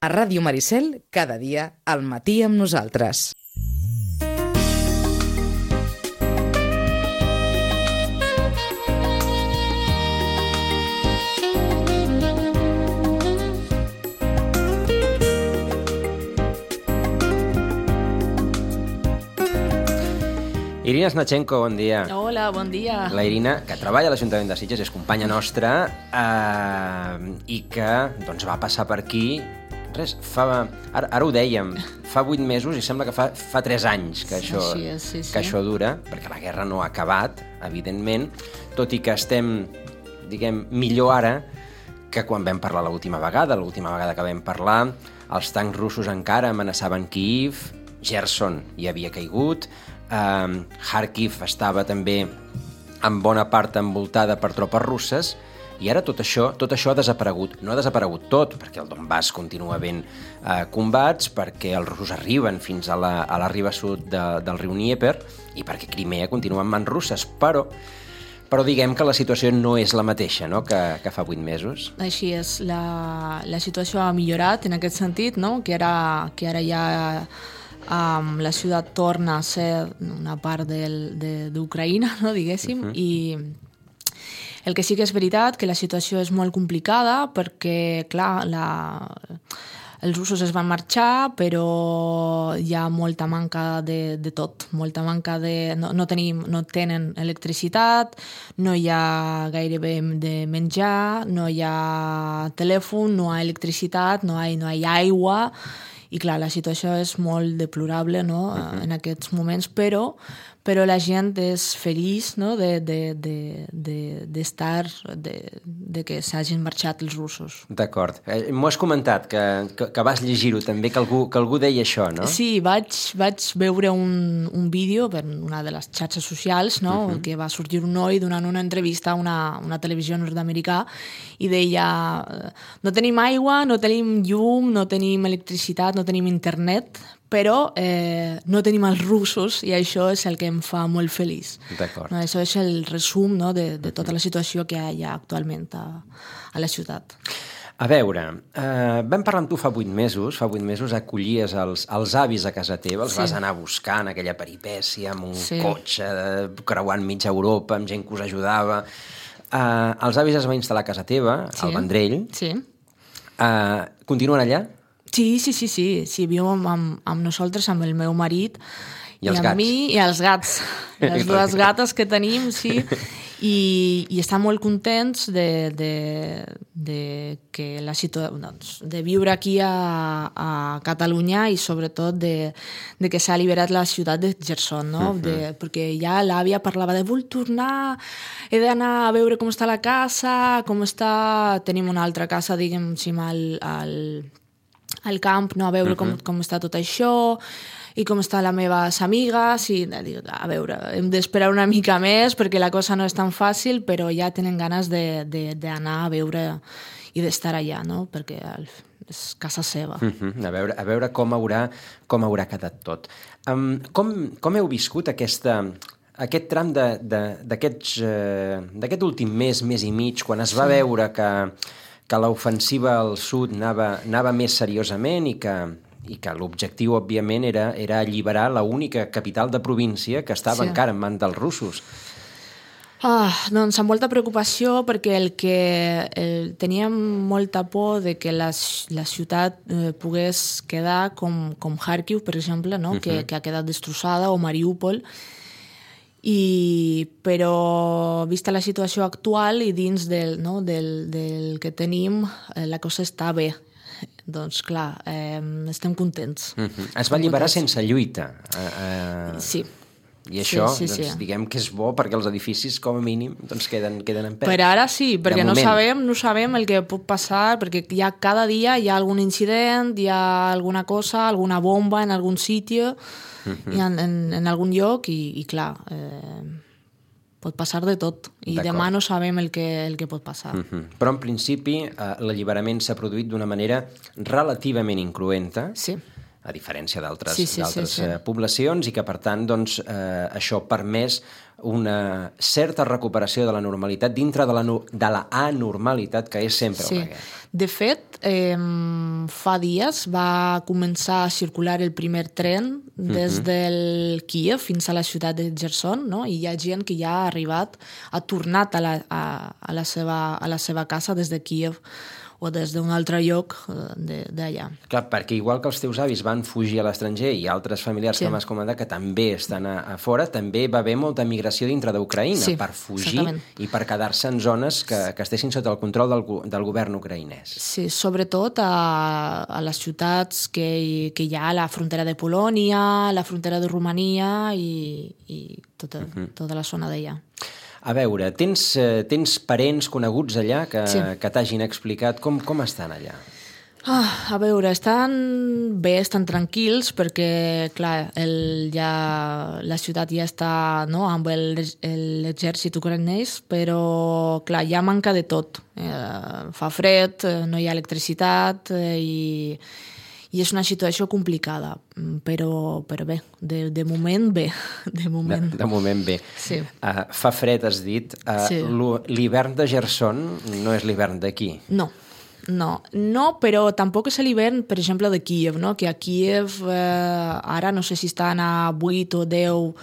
A Ràdio Maricel, cada dia, al matí amb nosaltres. Irina Snachenko, bon dia. Hola, bon dia. La Irina, que treballa a l'Ajuntament de Sitges, és companya nostra i que doncs, va passar per aquí, ara ho dèiem, fa 8 mesos i sembla que fa 3 anys que això dura, perquè la guerra no ha acabat, evidentment, tot i que estem, diguem, millor ara que quan vam parlar l'última vegada que vam parlar, els tancs russos encara amenaçaven Kíiv, Gerson hi havia caigut, Kharkiv estava també en bona part envoltada per tropes russes i ara tot això ha desaparegut. No ha desaparegut tot, perquè el Donbass continua havent combats, perquè els russos arriben fins a la riba sud del riu Dnieper i perquè Crimea continua en mans russes, però diguem que la situació no és la mateixa, no?, que fa 8 mesos. Així és, la situació ha millorat en aquest sentit, no?, que ara ja la ciutat torna a ser una part d'Ucraïna, no, diguéssim, i el que sí que és veritat que la situació és molt complicada perquè, clar, els russos es van marxar, però hi ha molta manca de tot, molta manca de... No tenen electricitat, no hi ha gairebé de menjar, no hi ha telèfon, no hi ha electricitat, no hi ha aigua. I clar, la situació és molt deplorable, no?, en aquests moments, però la gent és feliç, no?, de que s'hagin marxat els russos. D'acord. M'ho has comentat, que vas llegir-ho també, que algú deia això, no? Sí, vaig veure un vídeo per una de les xarxes socials, no?, que va sorgir un noi donant una entrevista a una televisió nord-americà i deia: no tenim aigua, no tenim llum, no tenim electricitat, no tenim internet, però no tenim els russos i això és el que em fa molt feliç. D'acord. No, això és el resum, no, de tota la situació que hi ha actualment a la ciutat. A veure, vam parlar amb tu fa 8 mesos, acollies els avis a casa teva, els vas anar buscant, aquella peripècia, amb un cotxe, creuant mitja Europa, amb gent que us ajudava. Els avis es van instal·lar a casa teva, al Vendrell. Sí. Continuen allà? Sí, viu amb nosaltres, amb el meu marit i els gats. Amb mi i els gats. Les dues gates que tenim, sí. I estan molt contents de viure aquí a Catalunya i sobretot de que s'ha alliberat la ciutat de Gerson, no? Perquè ja l'àvia parlava de vull tornar, he d'anar a veure com està la casa, com està... Tenim una altra casa, diguem, al camp, no? A veure com està tot això i com estan les meves amigues i a veure, hem d'esperar una mica més perquè la cosa no és tan fàcil, però ja tenen ganes d'anar a veure i d'estar allà, no? Perquè és casa seva. A veure com haurà quedat tot. Com heu viscut aquest tram d'aquest últim mes i mig, quan es va veure que l'ofensiva al sud anava més seriosament i que l'objectiu, òbviament, era alliberar l'única capital de província que estava encara en mans dels russos? Doncs amb molta preocupació, perquè teníem molta por de que la ciutat pogués quedar com Kharkiv, per exemple, no? Que ha quedat destrossada, o Mariúpol, però vista la situació actual i dins del que tenim, la cosa està bé. Doncs clar, estem contents. Es va alliberar sense lluita. Sí. I això, diguem que és bo perquè els edificis, com a mínim, queden en peu. Per ara sí, perquè no sabem el que pot passar, perquè cada dia hi ha algun incident, hi ha alguna cosa, alguna bomba en algun sitio, en algun lloc, i clar, pot passar de tot. I demà no sabem el que pot passar. Però en principi l'alliberament s'ha produït d'una manera relativament incruenta. Sí. a diferència d'altres Sí. poblacions, i que, per tant, doncs, això ha permès una certa recuperació de la normalitat dintre de la anormalitat que és sempre una guerra. De fet, fa dies va començar a circular el primer tren des del Kíev fins a la ciutat de Gerson, no? I hi ha gent que ja ha tornat a la seva casa des de Kíev o des d'un altre lloc d'allà. Clar, perquè igual que els teus avis van fugir a l'estranger i altres familiars que m'has comentat que també estan a fora, també va haver molta migració dintre d'Ucraïna per fugir i per quedar-se en zones que estessin sota el control del govern ucraïnès. Sí, sobretot a les ciutats que hi ha a la frontera de Polònia, la frontera de Romania i tota la zona d'allà. A veure, tens parents coneguts allà que t'hagin explicat com estan allà? A veure, estan bé, estan tranquils, perquè, clar, la ciutat ja està amb l'exèrcit ucraïnès, però, clar, hi ha manca de tot. Fa fred, no hi ha electricitat i és una situació complicada, però bé, de moment bé. De moment bé. Sí. Fa fred, has dit. L'hivern de Gerson no és l'hivern d'aquí. No, però tampoc és l'hivern, per exemple, de Kíev, no? Que a Kíev ara no sé si estan a 8 o 10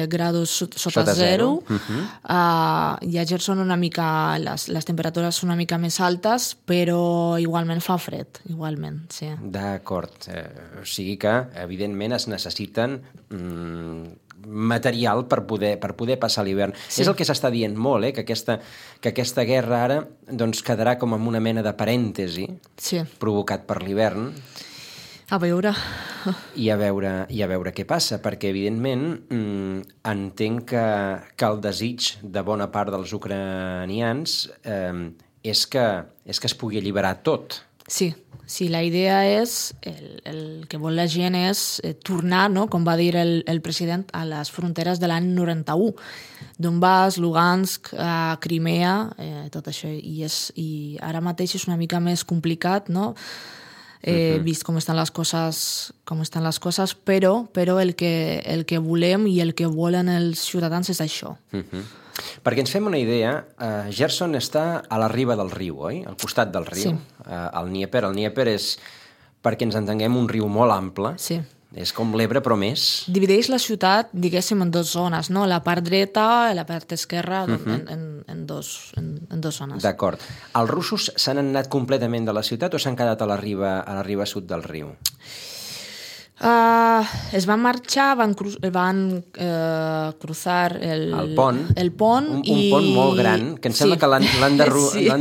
grados sota zero. I a Gerson una mica, les temperatures són una mica més altes, però igualment fa fred, igualment, sí. D'acord. O sigui que, evidentment, es necessiten material per poder passar l'hivern. Sí. És el que s'està dient molt, que aquesta guerra ara doncs, quedarà com en una mena de parèntesi provocat per l'hivern. A veure. I a veure què passa, perquè, evidentment, entenc que el desig de bona part dels ucranians és que es pugui alliberar tot. Sí, la idea és, el que vol la gent és tornar, no? Com va dir el president, a les fronteres de l'any 91. Donbass, Lugansk, Crimea, tot això. I ara mateix és una mica més complicat, no? Vist com estan les coses, però el que volem i el que volen els ciutadans és això. Perquè ens fem una idea, Gerson està a la riba del riu, oi? Al costat del riu, el Dnieper. El Dnieper és, perquè ens entenguem, un riu molt ample. Sí. És com l'Ebre, però més. Divideix la ciutat, diguéssim, en dues zones, no? La part dreta i la part esquerra, en dos zones. D'acord. Els russos s'han anat completament de la ciutat o s'han quedat a la riba sud del riu? Es van marxar, van cruzar el pont. Un pont molt gran, que em sembla que l'han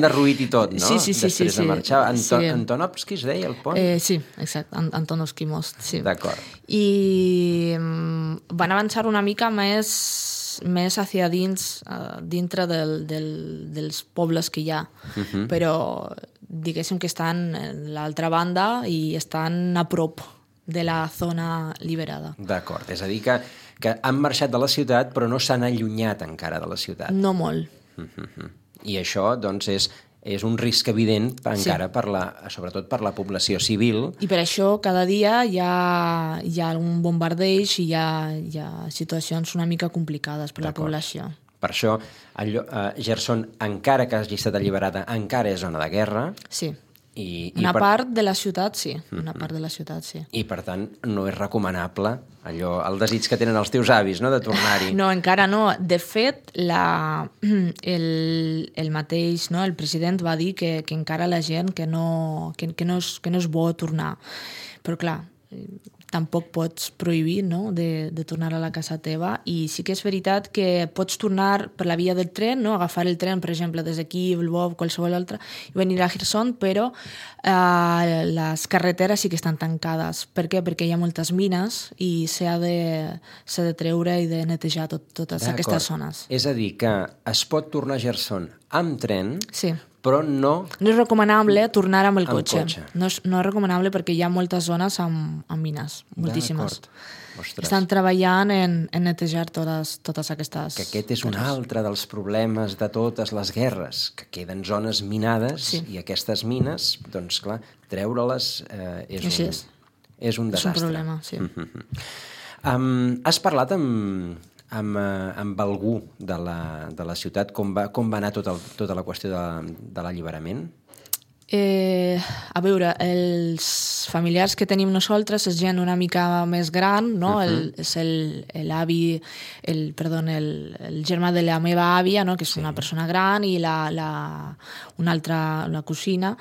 derruït i tot, no? Sí. Després de marxar. Antonovski es deia el pont? Sí, exacte, Antonovski Most, sí. D'acord. I van avançar una mica més hacia dins, dintre dels pobles que hi ha. Però diguéssim que estan a l'altra banda i estan a prop de la zona liberada. D'acord, és a dir que han marxat de la ciutat però no s'han allunyat encara de la ciutat. No molt. I això, doncs, és un risc evident encara sobretot per la població civil. I per això cada dia hi ha un bombardeig i hi ha situacions una mica complicades per la població. Per això, Gerson, encara que hagi estat alliberada, encara és zona de guerra. Sí. Una part de la ciutat, sí. I, per tant, no és recomanable el desig que tenen els teus avis, no?, de tornar-hi. No, encara no. De fet, el mateix, no?, el president va dir que encara la gent que no és bo tornar. Però, clar, tampoc pots prohibir, no?, de tornar a la casa teva, i sí que és veritat que pots tornar per la via del tren, no?, agafar el tren, per exemple, des d'aquí, Lvov, qualsevol altre, i venir a Kherson, però les carreteres sí que estan tancades. Per què? Perquè hi ha moltes mines i s'ha de treure i de netejar totes aquestes zones. És a dir, que es pot tornar a Kherson amb tren, sí, però no... No és recomanable tornar amb el cotxe. No és recomanable perquè hi ha moltes zones amb mines, moltíssimes. Estan treballant en netejar totes aquestes... Que aquest és un altre dels problemes de totes les guerres, que queden zones minades i aquestes mines, doncs clar, treure-les és un desastre. És un problema, sí. Has parlat amb algú de la ciutat? Com va anar tota la qüestió de l'alliberament? A veure, els familiars que tenim nosaltres és gent una mica més gran, no? És l'avi, el germà de la meva àvia, no? Que és una persona gran, i una altra, la cosina,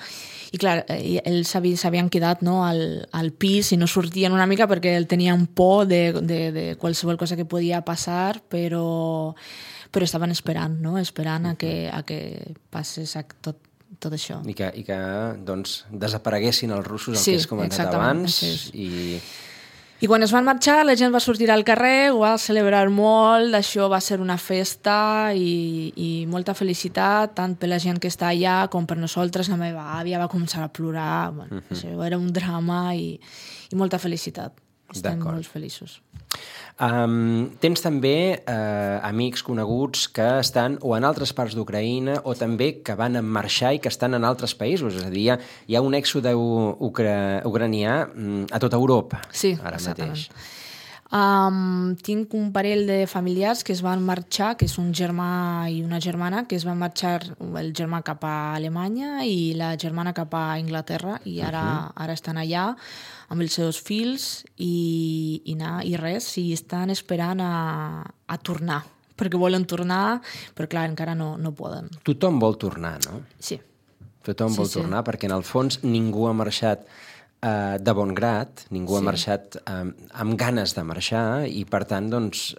i clar, ells s'havien quedat, no, al pis i no sortien una mica perquè tenien por de qualsevol cosa que podia passar, però estaven esperant, no? Esperant a que passés tot això. I que doncs, desapareguessin els russos, el que has comentat abans. I quan es van marxar, la gent va sortir al carrer, ho va celebrar molt, això va ser una festa i molta felicitat, tant per la gent que està allà com per nosaltres. La meva àvia va començar a plorar, bueno, això era un drama i molta felicitat. Estem molt feliços. Tens també amics coneguts que estan o en altres parts d'Ucraïna o també que van marxar i que estan en altres països, és a dir, hi ha un èxode ucranià a tota Europa ara mateix. Tinc un parell de familiars que es van marxar, que és un germà i una germana, que es van marxar, el germà cap a Alemanya i la germana cap a Anglaterra, i ara estan allà amb els seus fills i res, i estan esperant a tornar, perquè volen tornar, però clar, encara no poden. Tothom vol tornar, no? Sí. Tothom vol tornar, perquè en el fons ningú ha marxat de bon grat, ningú ha marxat amb ganes de marxar, i per tant, doncs...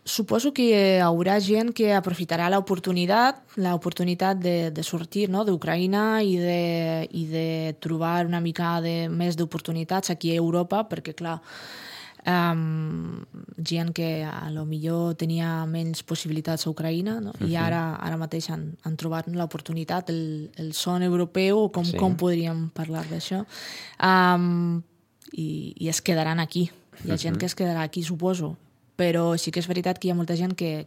Suposo que hi haurà gent que aprofitarà l'oportunitat de sortir, no, d'Ucraïna i de trobar una mica més d'oportunitats aquí a Europa, perquè, clar, gent que a lo millor tenia menys possibilitats a Ucraïna, no? I ara mateix han trobat l'oportunitat, el son europeu, com podríem parlar d'això, i es quedaran aquí. Hi ha gent que es quedarà aquí, suposo, però sí que és veritat que hi ha molta gent que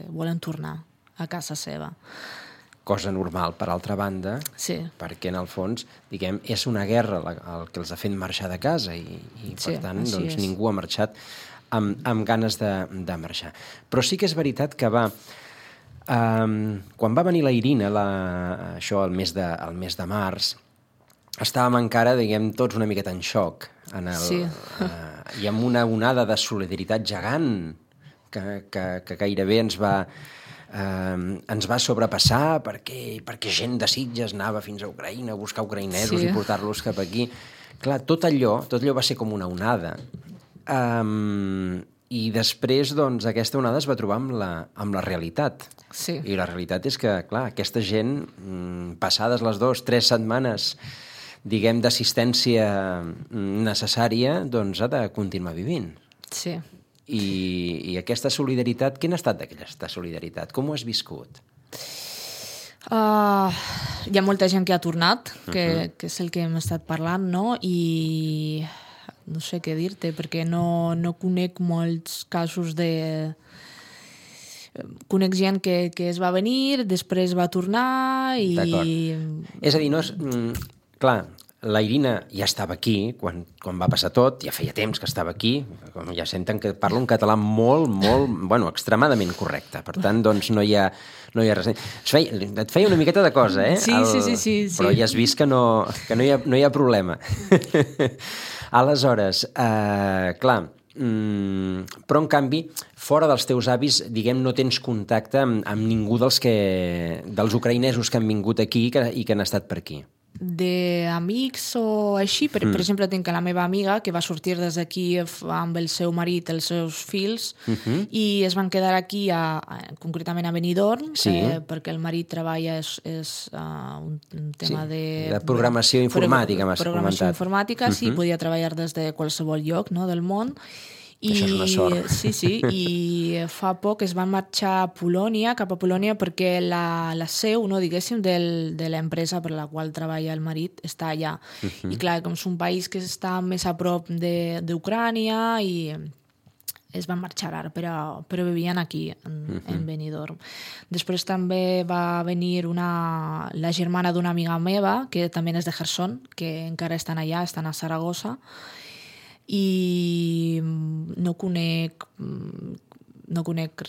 volen tornar a casa seva. Cosa normal, per altra banda, perquè en el fons, diguem, és una guerra el que els ha fet marxar de casa i per tant, doncs, ningú ha marxat amb ganes de marxar. Però sí que és veritat que quan va venir la Irina, això el mes de març, estàvem encara, diguem, tots una miqueta en xoc, i amb una onada de solidaritat gegant que gairebé ens va sobrepassar perquè gent de Sitges anava fins a Ucraïna a buscar ucraïnesos i portar-los cap aquí. Clar, tot allò va ser com una onada. I després, doncs, aquesta onada es va trobar amb la realitat. Sí. I la realitat és que, clar, aquesta gent, passades les 2-3 setmanes, diguem, d'assistència necessària, doncs ha de continuar vivint. Sí. I aquesta solidaritat, quin ha estat d'aquesta solidaritat? Com ho has viscut? Hi ha molta gent que ha tornat, que és el que hem estat parlant, no? I no sé què dir-te, perquè no conec molts casos de... Conec gent que es va venir, després va tornar i... D'acord. És a dir, no és... Clar, la Irina ja estava aquí quan va passar tot, ja feia temps que estava aquí, com ja senten que parla un català molt, bueno, extremadament correcte. Per tant, doncs, no hi ha res. Et feia una miqueta de cosa, eh? Sí. Però ja has vist que no hi ha problema. Aleshores, clar, però en canvi, fora dels teus avis, diguem, no tens contacte amb ningú dels ucraïnesos que han vingut aquí i que han estat per aquí. D'amics o així, per exemple, tinc la meva amiga que va sortir des d'aquí amb el seu marit, els seus fills, i es van quedar aquí, concretament a Benidorm, perquè el marit treballa és un tema de programació informàtica, m'has comentat. Programació informàtica, sí, podia treballar des de qualsevol lloc, no, del món. Això és una sort. Sí, i fa poc es van marxar cap a Polònia, perquè la seu, no, diguéssim, de l'empresa per la qual treballa el marit està allà. I clar, com és un país que està més a prop d'Ucrània i es van marxar ara, però vivien aquí, en Benidorm. Després també va venir la germana d'una amiga meva, que també és de Gerson, que encara estan allà, estan a Saragossa, i no conec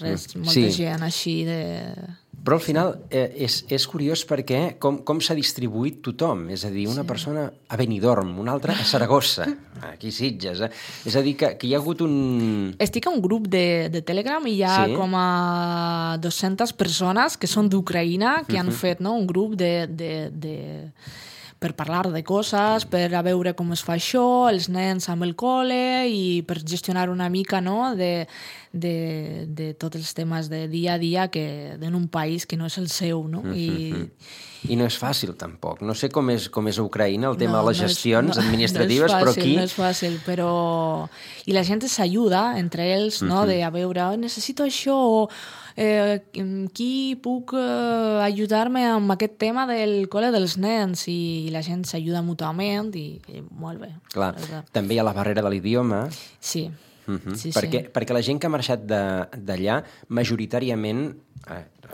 res, molta gent així de... Però al final és curiós perquè com s'ha distribuït tothom. És a dir, una persona a Benidorm, una altra a Saragossa, aquí a Sitges. És a dir, que hi ha hagut un... Estic a un grup de Telegram i hi ha com a 200 persones que són d'Ucraïna que han fet un grup per parlar de coses, per a veure com es fa això, els nens amb el col·le i per gestionar una mica de tots els temes de dia a dia en un país que no és el seu, no? I no és fàcil, tampoc. No sé com és a Ucraïna el tema de les gestions administratives, però aquí... No és fàcil, però... I la gent s'ajuda entre ells, no?, de a veure, necessito això, o qui puc ajudar-me amb aquest tema del col·le dels nens, i la gent s'ajuda mútuament i molt bé. Clar, també hi ha la barrera de l'idioma. Sí. Perquè la gent que ha marxat d'allà, majoritàriament,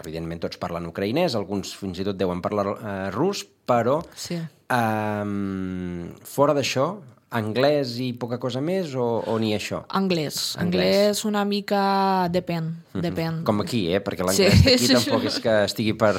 evidentment tots parlen ucraïnès, alguns fins i tot deuen parlar rus, però fora d'això, anglès i poca cosa més, o ni això? Anglès una mica depèn. Com aquí, perquè l'anglès d'aquí tampoc és que estigui per...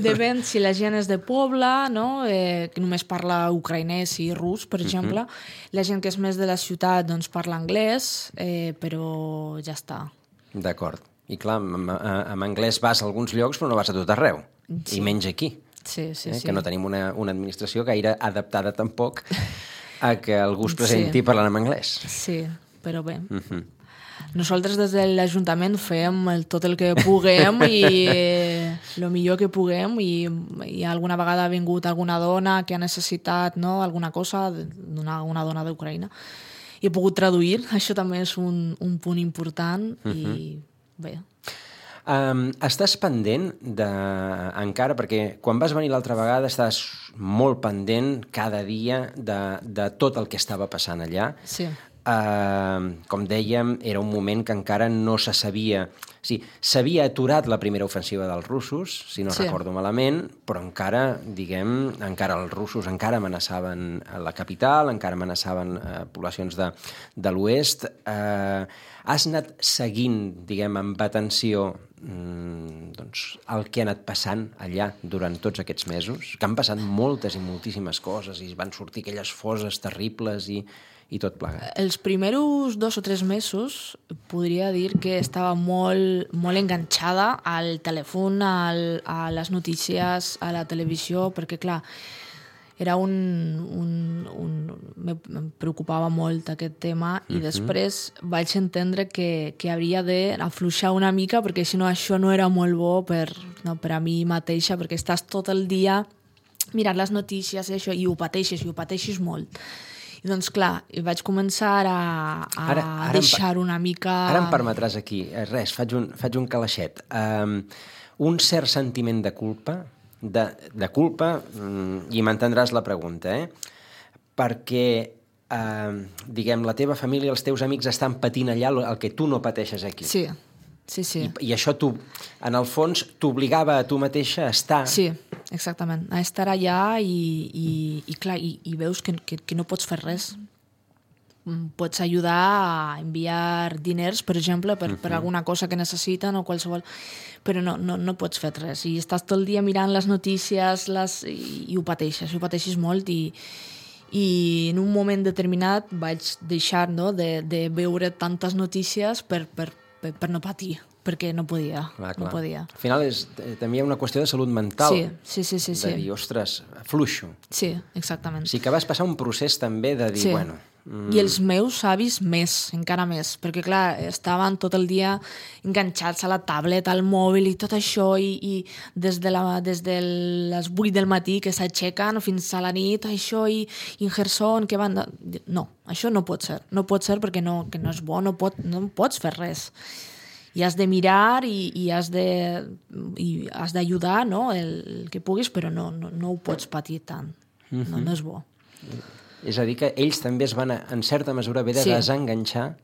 Depèn si la gent és de poble, no? Que només parla ucraïnès i rus, per exemple. La gent que és més de la ciutat doncs parla anglès, però ja està. D'acord. I clar, amb anglès vas a alguns llocs, però no vas a tot arreu. I menys aquí. Sí. Que no tenim una administració gaire adaptada tampoc a que algú es presenti parlant en anglès. Sí, però bé. Nosaltres des de l'Ajuntament fem tot el que puguem i el millor que puguem, i alguna vegada ha vingut alguna dona que ha necessitat alguna cosa d'una dona d'Ucraïna i he pogut traduir. Això també és un punt important i bé. Estàs pendent encara, perquè quan vas venir l'altra vegada estàs molt pendent cada dia de tot el que estava passant allà. Sí. Com dèiem, era un moment que encara no se sabia... Sí, s'havia aturat la primera ofensiva dels russos, si no recordo malament, però encara els russos encara amenaçaven la capital, encara amenaçaven poblacions de l'oest. Has anat seguint, amb atenció, el que ha anat passant allà durant tots aquests mesos, que han passat moltes i moltíssimes coses i van sortir aquelles fosses terribles i tot plegat. Els primers 2 o 3 mesos podria dir que estava molt enganxada al telèfon, a les notícies, a la televisió, perquè clar, era em preocupava molt aquest tema, i després vaig entendre que hauria d'afluixar una mica, perquè si no això no era molt bo per a mi mateixa, perquè estàs tot el dia mirant les notícies i això, i ho pateixes molt. I doncs clar, vaig començar a deixar una mica... Ara em permetràs aquí, faig un calaixet. Un cert sentiment de culpa, i m'entendràs la pregunta, perquè, la teva família, els teus amics estan patint allà el que tu no pateixes aquí. Sí. I això en el fons, t'obligava a tu mateixa a estar... Sí, exactament, a estar allà i clar, i veus que no pots fer res. Pots ajudar a enviar diners, per exemple, per alguna cosa que necessiten o qualsevol, però no pots fer res. I estàs tot el dia mirant les notícies i ho pateixes molt, i en un moment determinat vaig deixar de veure tantes notícies per no patir, perquè no podia. No podia. Al final també hi ha una qüestió de salut mental. Sí. De dir, ostres, fluixo. Sí, exactament. Sí que vas passar un procés també de dir, bueno... I els meus avis encara més, perquè clar, estaven tot el dia enganxats a la tablet, al mòbil i tot això, i des de les 8 del matí que s'aixequen fins a la nit, això, i en Gerson, que van... No, això no pot ser perquè que no és bo, no pots fer res. I has de mirar i has d'ajudar, no?, el que puguis, però no ho pots patir tant. No és bo. És a dir, que ells també es van, en certa mesura, haver de desenganxar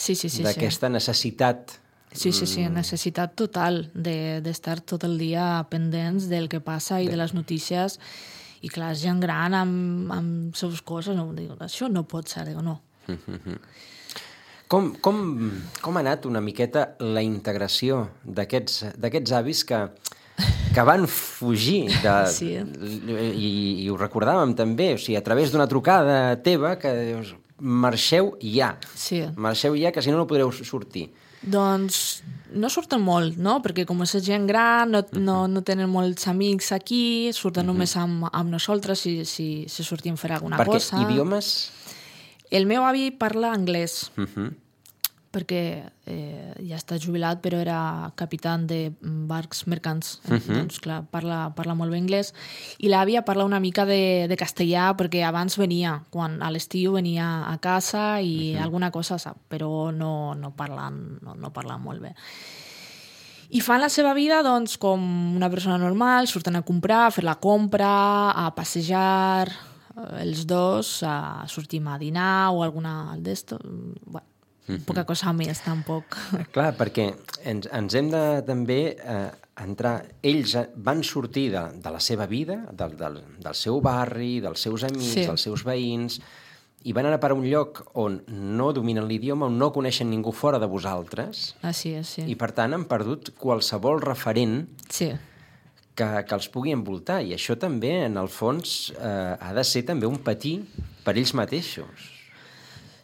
Sí, sí, sí. D'aquesta necessitat. Sí, necessitat total d'estar tot el dia pendents del que passa i de les notícies. I clar, gent gran amb seus coses, no, dic, això no pot ser, dic, no. Com ha anat una miqueta la integració d'aquests avis que van fugir Sí. i ho recordàvem també, o sigui, a través d'una trucada teva que dius, marxeu ja. Sí. Marxeu ja, que si no podreu sortir. Doncs no surten molt, no? Perquè com és gent gran, no tenen molts amics aquí, surten només amb nosaltres si sortim a fer alguna cosa. Perquè idiomes? El meu avi parla anglès, perquè ja està jubilat, però era capità de barcs mercants. Doncs, clar, parla molt bé anglès. I l'àvia parla una mica de castellà, perquè abans venia, quan a l'estiu venia a casa i alguna cosa sap, però no parla molt bé. I fan la seva vida doncs, com una persona normal, surten a comprar, a fer la compra, a passejar, els dos, sortim a dinar o alguna d'esto. Bueno, poca cosa més, tampoc. Clar, perquè ens hem de també entrar... Ells van sortir de la seva vida, del seu barri, dels seus amics, dels seus veïns, i van anar a un lloc on no dominen l'idioma, on no coneixen ningú fora de vosaltres, sí. I per tant han perdut qualsevol referent que els pugui envoltar. I això també, en el fons, ha de ser també un patir per ells mateixos.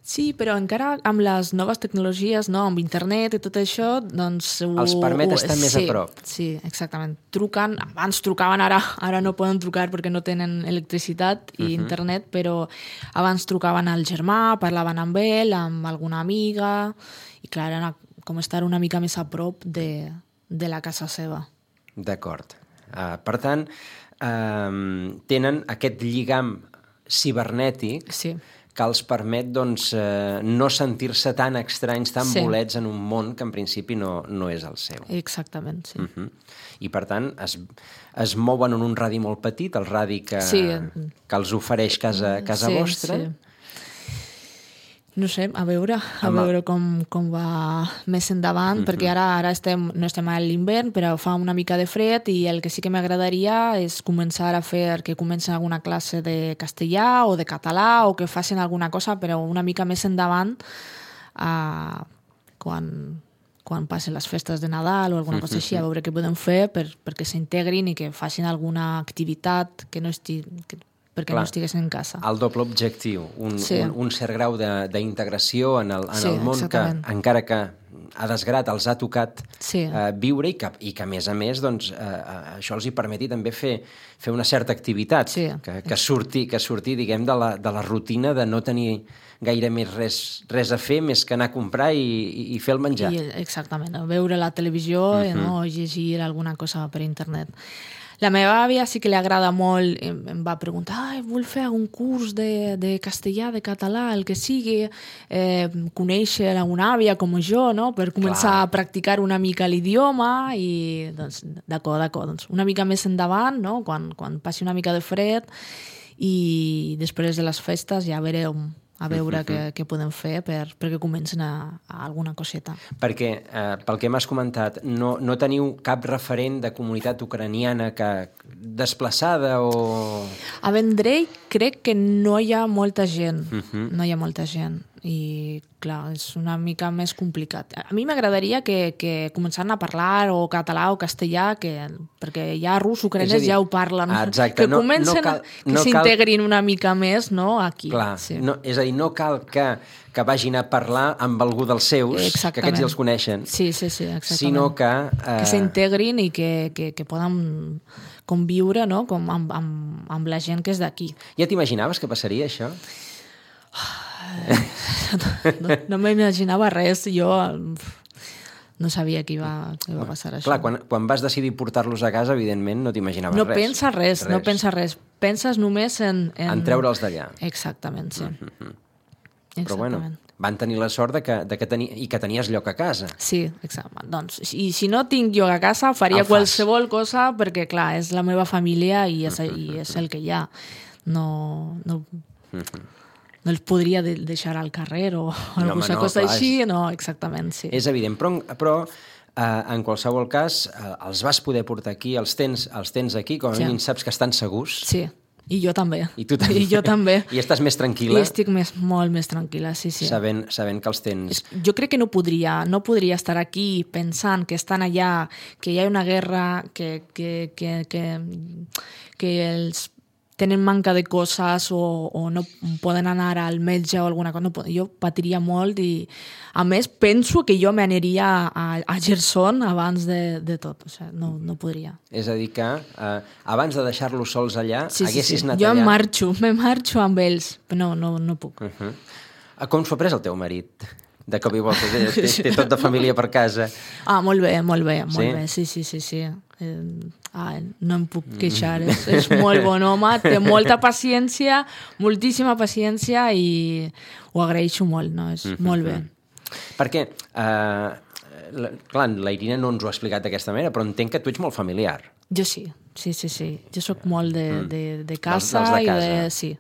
Sí, però encara amb les noves tecnologies, no? Amb internet i tot això, doncs... Els permet estar més a prop. Sí, exactament. Truquen, abans trucaven, ara no poden trucar perquè no tenen electricitat i internet, però abans trucaven al germà, parlaven amb ell, amb alguna amiga, i clar, era com estar una mica més a prop de la casa seva. D'acord. Per tant, tenen aquest lligam cibernètic que els permet doncs, no sentir-se tan estranys, tan bolets en un món que en principi no és el seu. Exactament, sí. I per tant es mouen en un radi molt petit, el radi que els ofereix casa vostra. Sí. No sé, a veure com va més endavant, perquè ara no estem a l'hivern, però fa una mica de fred i el que sí que m'agradaria és començar a fer que comencin alguna classe de castellà o de català o que facin alguna cosa, però una mica més endavant quan passen les festes de Nadal o alguna cosa així, a veure què podem fer perquè s'integrin i que facin alguna activitat que no perquè no estiguessin en casa. El doble objectiu, un cert grau d'integració en el món que, encara que a desgrat els ha tocat viure i que, a més, doncs, això els hi permeti també fer una certa activitat, que surti, diguem, de la rutina de no tenir gaire més res a fer més que anar a comprar i fer el menjar. Exactament, veure la televisió o llegir alguna cosa per internet. La meva àvia sí que li agrada molt, em va preguntar, vull fer algun curs de castellà, de català, el que sigui, conèixer una àvia com jo, no? Per començar a practicar una mica l'idioma i, doncs, d'acord, doncs, una mica més endavant, no? Quan passi una mica de fred i després de les festes ja verem a veure què podem fer perquè comencen a alguna coseta. Perquè, pel que m'has comentat, no teniu cap referent de comunitat ucraniana desplaçada o... A Vendrell crec que no hi ha molta gent. No hi ha molta gent. I, clar, és una mica més complicat. A mi m'agradaria que començaran a parlar o català o castellà, perquè ja rus, ucraïnès ja ho parlen. Exacte. Que comencen que s'integrin una mica més, no?, aquí. Clar, és a dir, no cal que vagin a parlar amb algú dels seus, que aquests ja els coneixen. Sí, exactament. Sinó que s'integrin i que poden conviure, no?, com amb la gent que és d'aquí. Ja t'imaginaves que passaria això? No m'imaginava res, jo no sabia que iba passar això. Clar, quan vas decidir portar-los a casa, evidentment no t'imaginaves res. No penses res. Penses només en treure'ls d'allà. Exactament, sí. Però bueno, van tenir la sort que tenies lloc a casa. Sí, exacte. Doncs, i si no tinc lloc a casa, faria qualsevol cosa perquè, clar, és la meva família i és el que hi ha. No no els podria deixar al carrer o alguna cosa així. No, exactament, sí. És evident, però en qualsevol cas els vas poder portar aquí, els tens aquí, com a mínim saps que estan segurs. Sí, i jo també. I tu també. I jo també. I estàs més tranquil·la. I estic molt més tranquil·la, sí. Sabent que els tens... Jo crec que no podria estar aquí pensant que estan allà, que hi ha una guerra, que els tenen manca de coses o no poden anar al metge o alguna cosa. No, jo patiria molt i, a més, penso que jo m'aniria a Gerson abans de tot. O sigui, no podria. És a dir que abans de deixar-los sols allà, haguessis anat allà. Jo me marxo amb ells, però no puc. Com s'ho ha pres el teu marit? De cop i volta, té tot de família per casa. Molt bé, sí. No em puc queixar, és molt bon home, té molta paciència, moltíssima paciència i ho agraeixo molt, no? És molt bé. Perquè, clar, la Irina no ens ho ha explicat d'aquesta manera, però entenc que tu ets molt familiar. Jo sí. Jo sóc molt de casa. Dels de casa. Sí.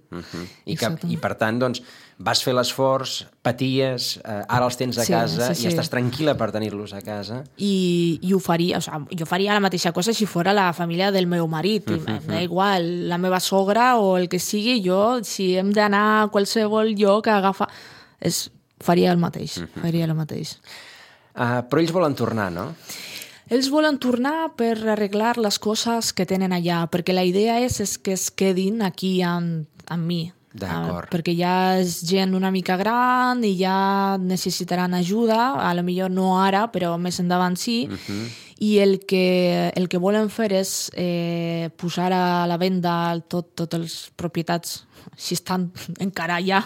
I per tant, doncs, vas fer l'esforç, paties, ara els tens a casa i estàs tranquil·la per tenir-los a casa. I ho faria, jo faria la mateixa cosa si fos la família del meu marit. M'da igual, la meva sogra o el que sigui, jo, si hem d'anar a qualsevol lloc a agafar... Faria el mateix. Però ells volen tornar, no? Ells volen tornar per arreglar les coses que tenen allà, perquè la idea és que es quedin aquí amb mi. D'acord. Perquè ja és gent una mica gran i ja necessitaran ajuda, a lo millor no ara, però més endavant sí, i el que volen fer és posar a la venda totes les propietats, si estan encara allà,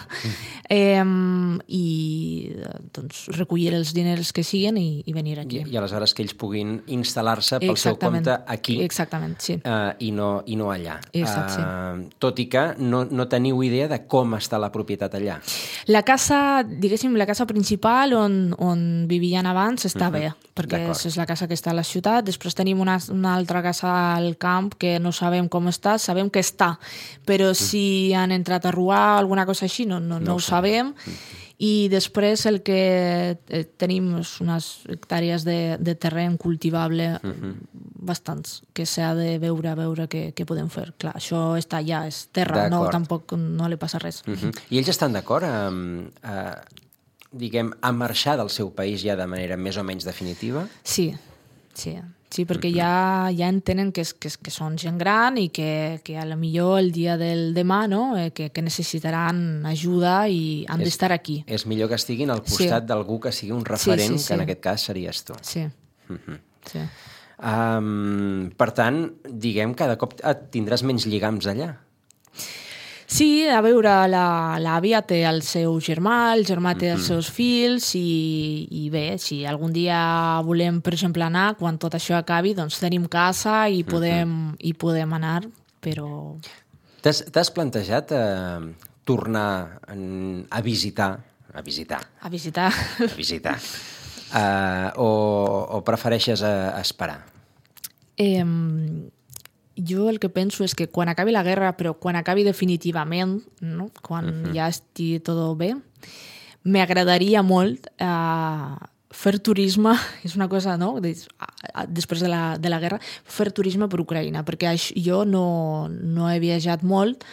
i doncs, recollir els diners que siguen i venir aquí. I aleshores que ells puguin instal·lar-se pel seu compte aquí. Exactament, sí. I no allà. Sí. Tot i que no teniu idea de com està la propietat allà. La casa, diguéssim, la casa principal on vivien abans està bé, perquè és la casa que està a la ciutat. Després tenim una altra casa al camp que no sabem com està, sabem que està, però si han entrat a robar alguna cosa així no ho sabem. I després el que tenim és unes hectàrees de terreny cultivable bastants, que s'ha de veure què podem fer. Clar, això està allà, és terra, tampoc no li passa res. I ells estan d'acord a marxar del seu país ja de manera més o menys definitiva? Sí, perquè ja entenen que són gent gran i que a lo millor el dia del demà que necessitaran ajuda i han d'estar aquí. És millor que estiguin al costat d'algú que sigui un referent, que en aquest cas series tu. Sí. Per tant, diguem, cada cop tindràs menys lligams allà. Sí, a veure, l'àvia té el seu germà, el germà té els seus fills i bé, si algun dia volem, per exemple, anar, quan tot això acabi, doncs tenim casa i podem anar, però... T'has plantejat tornar a visitar? O prefereixes esperar? Jo el que penso és que quan acabi la guerra, però quan acabi definitivament, no? Quan ja estigui tot bé, m'agradaria molt fer turisme, és una cosa, no? Després de la guerra, fer turisme per Ucraïna, perquè jo no he viatjat molt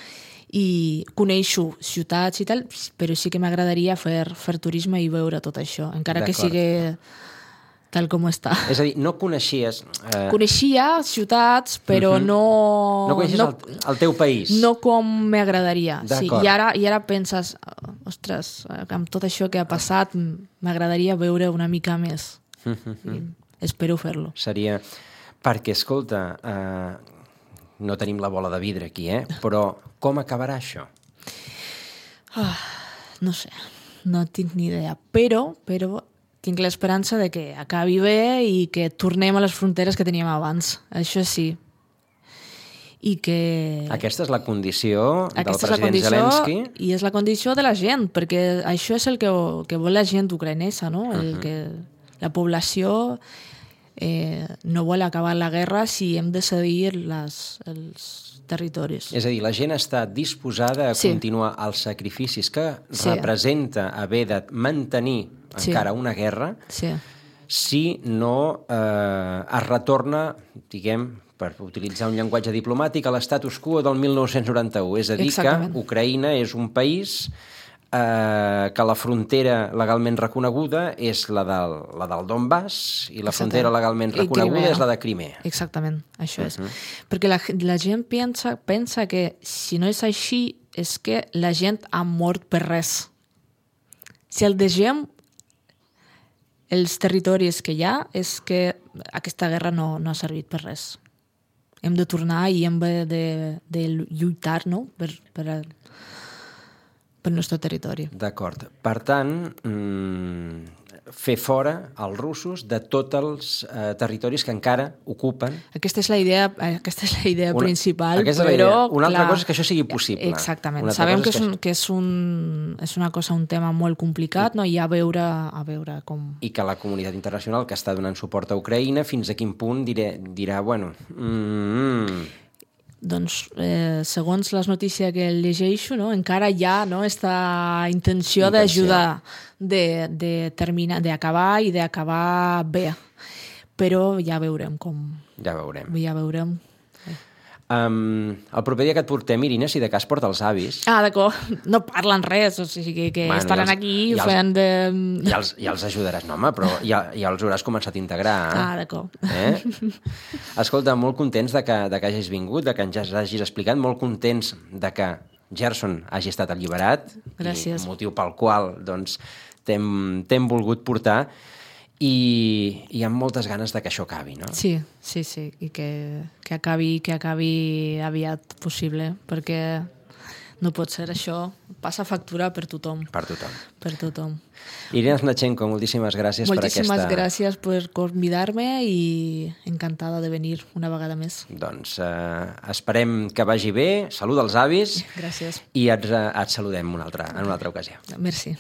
i coneixo ciutats i tal, però sí que m'agradaria fer turisme i veure tot això, encara que sigui tal com està. És a dir, no coneixies... Coneixia ciutats, però no... No coneixies el teu país. No com m'agradaria. Sí, D'acord. I ara penses, ostres, amb tot això que ha passat, m'agradaria veure una mica més. Espero fer-lo. Seria... Perquè, escolta, no tenim la bola de vidre aquí, però com acabarà això? No sé, no tinc ni idea. Però tinc l'esperança de que acabi bé i que tornem a les fronteres que teníem abans. Això sí. I que... Aquesta és la condició del president Zelensky? I és la condició de la gent, perquè això és el que vol la gent ucraïnesa, no? La població no vol acabar la guerra si hem de cedir els territoris. És a dir, la gent està disposada a continuar els sacrificis que representa haver de mantenir encara una guerra si no es retorna, diguem, per utilitzar un llenguatge diplomàtic, a l'estatus quo del 1991. És a dir, que Ucraïna és un país que la frontera legalment reconeguda és la del Donbass i la frontera legalment reconeguda és la de Crimea. Exactament, això és. Perquè la gent pensa que si no és així és que la gent ha mort per res. Si el deixem els territoris que hi ha és que aquesta guerra no ha servit per res. Hem de tornar i hem de lluitar, no? per el nostre territori. D'acord. Per tant, fer fora els russos de tots els territoris que encara ocupen. Aquesta és la idea principal, però... Una altra cosa és que això sigui possible. Exactament. Sabem que és una cosa, un tema molt complicat, no? I a veure com... I que la comunitat internacional que està donant suport a Ucraïna, fins a quin punt dirà, bueno... Doncs, segons les notícies que llegeixo, no, encara hi ha aquesta intenció d'ajudar, d'acabar i d'acabar bé. Però ja veurem com... Ja veurem. El proper dia que et portem, Irina, si de cas porta els avis. D'acord. No parlen res, o sigui que estaran aquí fent de... Ja els ajudaràs, no, home, però ja els hauràs començat a integrar. D'acord. Escolta, molt contents de que hagis vingut, de que ens hagis explicat, molt contents de que Gerson hagi estat alliberat. Gràcies. I motiu pel qual doncs, t'hem volgut portar. I amb moltes ganes de que això acabi, no? Sí, i que acabi aviat possible, perquè no pot ser això, passa factura per tothom. Per tothom. Irina Znachenko, moltíssimes gràcies per aquesta... Moltíssimes gràcies per convidar-me i encantada de venir una vegada més. Doncs esperem que vagi bé, salut als avis. Gràcies. I et saludem en una altra ocasió. Merci.